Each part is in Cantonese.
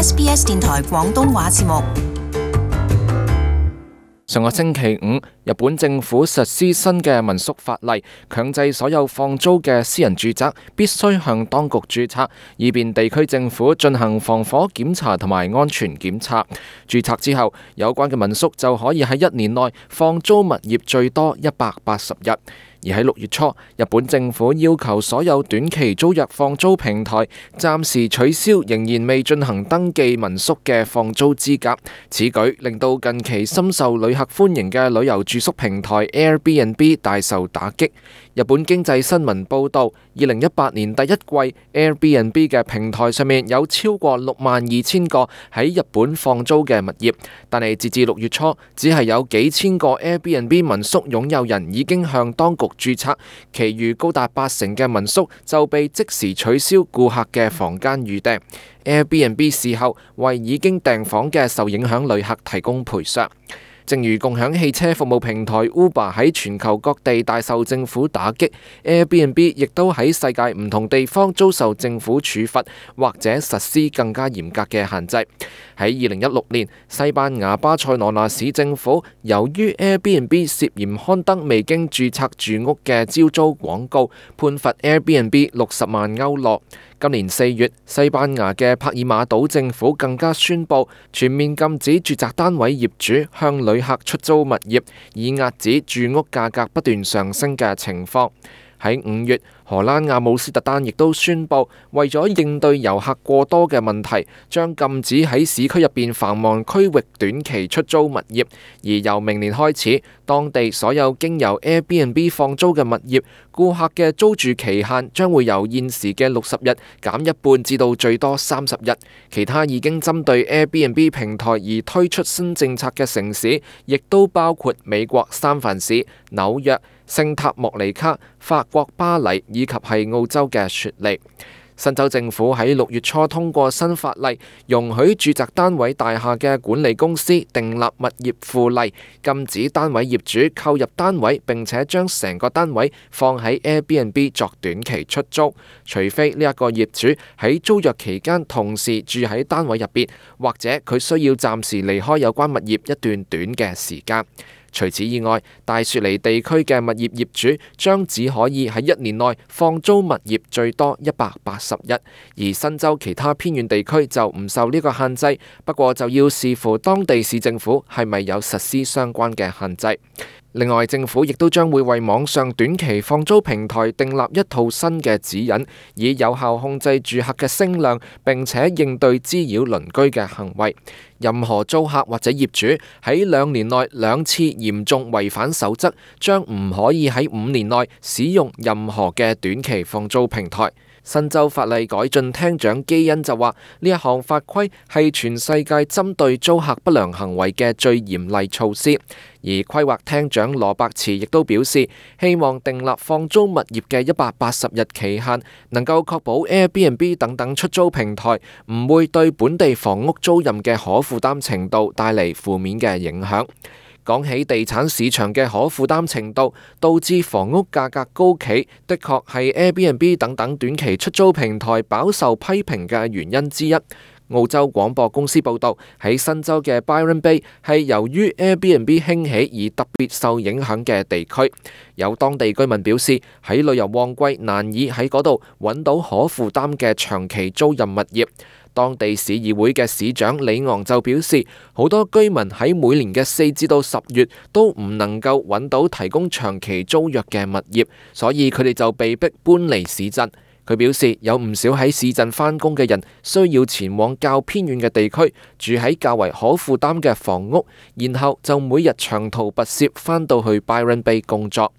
SBS 電台廣東話節目。上個星期五，日本政府實施新嘅民宿法例，強制所有放租嘅私人住宅必須向當局註冊，以便地區政府進行防火檢查同埋安全檢查。註冊之後，有關嘅民宿就可以喺1年內放租物業最多180日。而喺6月初，日本政府要求所有短期租約放租平台暫時取消仍然未進行登記民宿嘅放租資格。此舉令到近期深受旅客歡迎嘅旅遊住宿平台 Airbnb 大受打擊。日本經濟新聞報導，2018年第一季 Airbnb 嘅平台上面有超過62,000個喺日本放租嘅物業，但係截至6月初，只係有幾千個 Airbnb 民宿擁有人已經向當局註冊，其餘高達80%嘅民宿就被即時取消顧客嘅房間預訂。Airbnb 事後為已經訂房嘅受影響旅客提供賠償。正如共享汽車服務平台 Uber 喺全球各地大受政府打擊， Airbnb 亦都喺世界唔同地方遭受政府處罰或者實施更加嚴格嘅限制。喺2016年，西班牙巴塞羅那市政府由於 Airbnb 涉嫌刊登未經註冊住屋嘅招租廣告，判罰 Airbnb60萬歐羅。今年4月，西班牙嘅帕爾馬島政府更加宣布全面禁止住宅單位業主向旅客出租物業，以遏止住屋價格不斷上升嘅情況。喺5月，荷蘭阿姆斯特丹亦都宣布，為咗應對遊客過多嘅問題，將禁止喺市區入邊繁忙區域短期出租物業。而由明年開始，當地所有經由 Airbnb 放租嘅物業，顧客嘅租住期限將會由現時嘅60日減一半至到最多30日。其他已經針對 Airbnb 平台而推出新政策嘅城市，亦都包括美國三藩市、紐約、聖塔莫尼卡、法國巴黎以及係澳洲嘅雪梨。新州政府喺6月初通過新法例，容許住宅單位大廈嘅管理公司訂立物業附例，禁止單位業主購入單位並且將成個單位放喺 Airbnb 作短期出租，除非呢一個業主喺租約期間同時住喺單位入邊，或者佢需要暫時離開有關物業一段短嘅時間。除此以外，大雪梨地區嘅物業業主將只可以喺1年內放租物業最多180日，而新州其他偏遠地區就唔受呢個限制，不過就要視乎當地市政府係咪有實施相關嘅限制。另外，政府亦都將會為網上短期放租平台訂立一套新嘅指引，以有效控制住客嘅聲量，並且應對滋擾鄰居嘅行為。任何租客或者業主喺2年內2次嚴重違反守則，將唔可以喺5年內使用任何嘅短期放租平台。新州法例改進廳長基恩就話，呢一項法規係全世界針對租客不良行為嘅最嚴厲措施。而規劃廳長羅伯茨亦都表示，希望訂立放租物業嘅180日期限，能夠確保 Airbnb 等等出租平台唔會對本地房屋租賃嘅可負擔程度帶嚟負面嘅影響。講起地產市場嘅可負擔程度，導致房屋價格高企，的確係 Airbnb 等等短期出租平台飽受批評嘅原因之一。澳洲廣播公司報導，喺新州嘅 Byron Bay 係由於 Airbnb 興起而特別受影響嘅地區。有當地居民表示，喺旅遊旺季難以喺嗰度揾到可負擔嘅長期租賃物業。當地市議會嘅市長李昂就表示，好多居民喺每年嘅4至到10月都唔能夠揾到提供長期租約嘅物業，所以佢哋就被迫搬離市鎮。佢表示，有唔少喺市鎮返工嘅人需要前往較偏遠嘅地區，住喺較為可負擔嘅房屋，然後就每日長途跋涉返到去 Byron Bay 工作。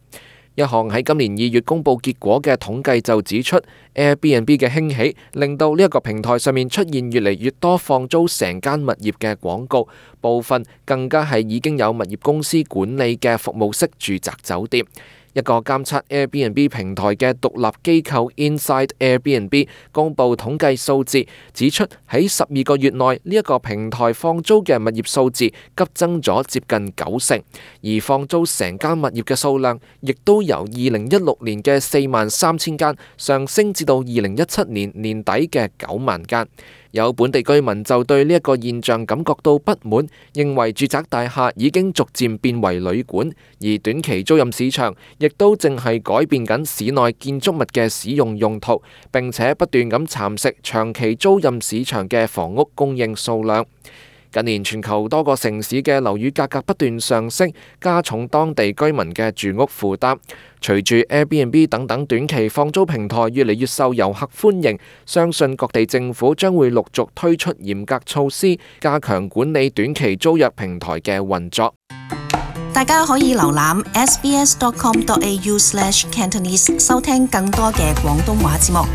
一項喺今年2月公佈結果嘅統計就指出， Airbnb 嘅興起令到呢一個平台上面出現越嚟越多放租成間物業嘅廣告，部分更加係已經有物業公司管理嘅服務式住宅酒店。一個監測 Airbnb 平台嘅獨立機構 Inside Airbnb 公佈統計數字，指出喺12個月內呢一個平台放租嘅物業數字急增咗接近90%，而放租成間物業嘅數量亦都由2016年嘅43000間上升至到2017年年底嘅9萬間。有本地居民就對呢一個現象感覺到不滿，認為住宅大廈已經逐漸變為旅館，而短期租賃市場亦都正係改變緊市內建築物嘅使用用途，並且不斷咁蠶食長期租賃市場嘅房屋供應數量。近年全球多個城市嘅樓宇價格不斷上升，加重當地居民嘅住屋負擔。隨住 Airbnb 等等短期放租平台越嚟越受遊客歡迎，相信各地政府將會陸續推出嚴格措施，加強管理短期租約平台嘅運作。大家可以瀏覽 sbs.com.au/cantonese 收聽更多嘅廣東話節目。